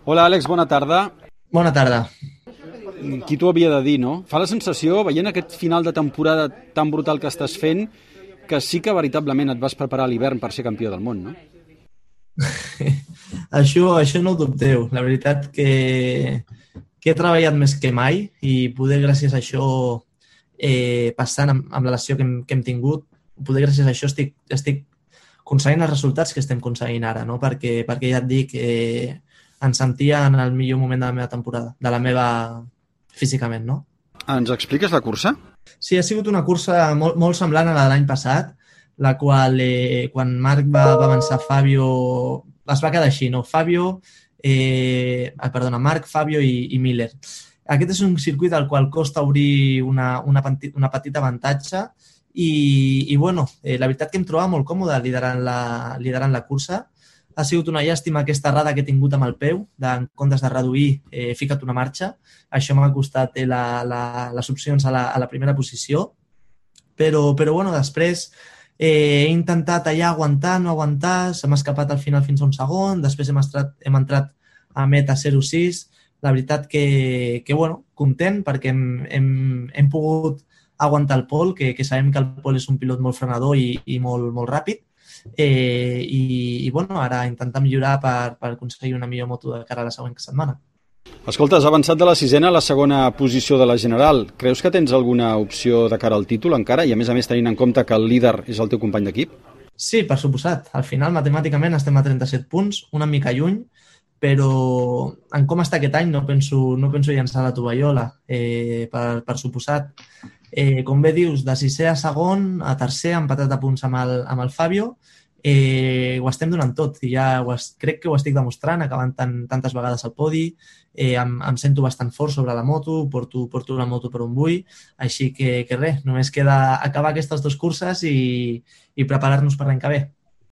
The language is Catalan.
Hola, Àlex, bona tarda. Bona tarda. Qui t'ho havia de dir, no? Fa la sensació, veient aquest final de temporada tan brutal que estàs fent, que sí que veritablement et vas preparar a l'hivern per ser campió del món, no? Això no ho dubteu. La veritat que he treballat més que mai i poder gràcies a això, passant amb la lesió que hem tingut, poder gràcies a això estic aconseguint els resultats que estem aconseguint ara, no? Perquè ja et dic, em sentia en el millor moment de la meva temporada, de la meva físicament, no? Ens expliques la cursa? Sí, ha sigut una cursa molt semblant a la de l'any passat, la qual, quan Marc va avançar Fabio, es va quedar així, no? Marc, Fabio i Miller. Aquest és un circuit al qual costa obrir una petita avantatge i bueno, la veritat que em trobava molt còmode liderant la cursa. Ha sigut una llàstima aquesta errada que he tingut amb el peu, en comptes de reduir, he ficat una marxa. Això m'ha costat les opcions a la primera posició. Però bueno, després he intentat allà aguantar, no aguantar, se m'ha escapat al final fins a un segon, després hem entrat a meta 0-6. La veritat que bueno, content perquè hem pogut aguantar el Pol, que sabem que el Pol és un pilot molt frenador i molt ràpid. I bueno, ara intentar millorar per aconseguir una millor moto de cara a la següent setmana. Escolta, has avançat de la sisena a la segona posició de la general. Creus que tens alguna opció de cara al títol encara? I a més tenint en compte que el líder és el teu company d'equip? Sí, per suposat. Al final, matemàticament, estem a 37 punts, una mica lluny, però en com està aquest any no penso llançar la tovallola, per suposat. Com bé dius, de sisè a segon, a tercer, empatat a punts amb el Fabio, ho estem donant tot i ja crec que ho estic demostrant, acabant tantes vegades al podi, em sento bastant fort sobre la moto, porto la moto per on vull, així que res, només queda acabar aquestes dues curses i preparar-nos per l'any que ve.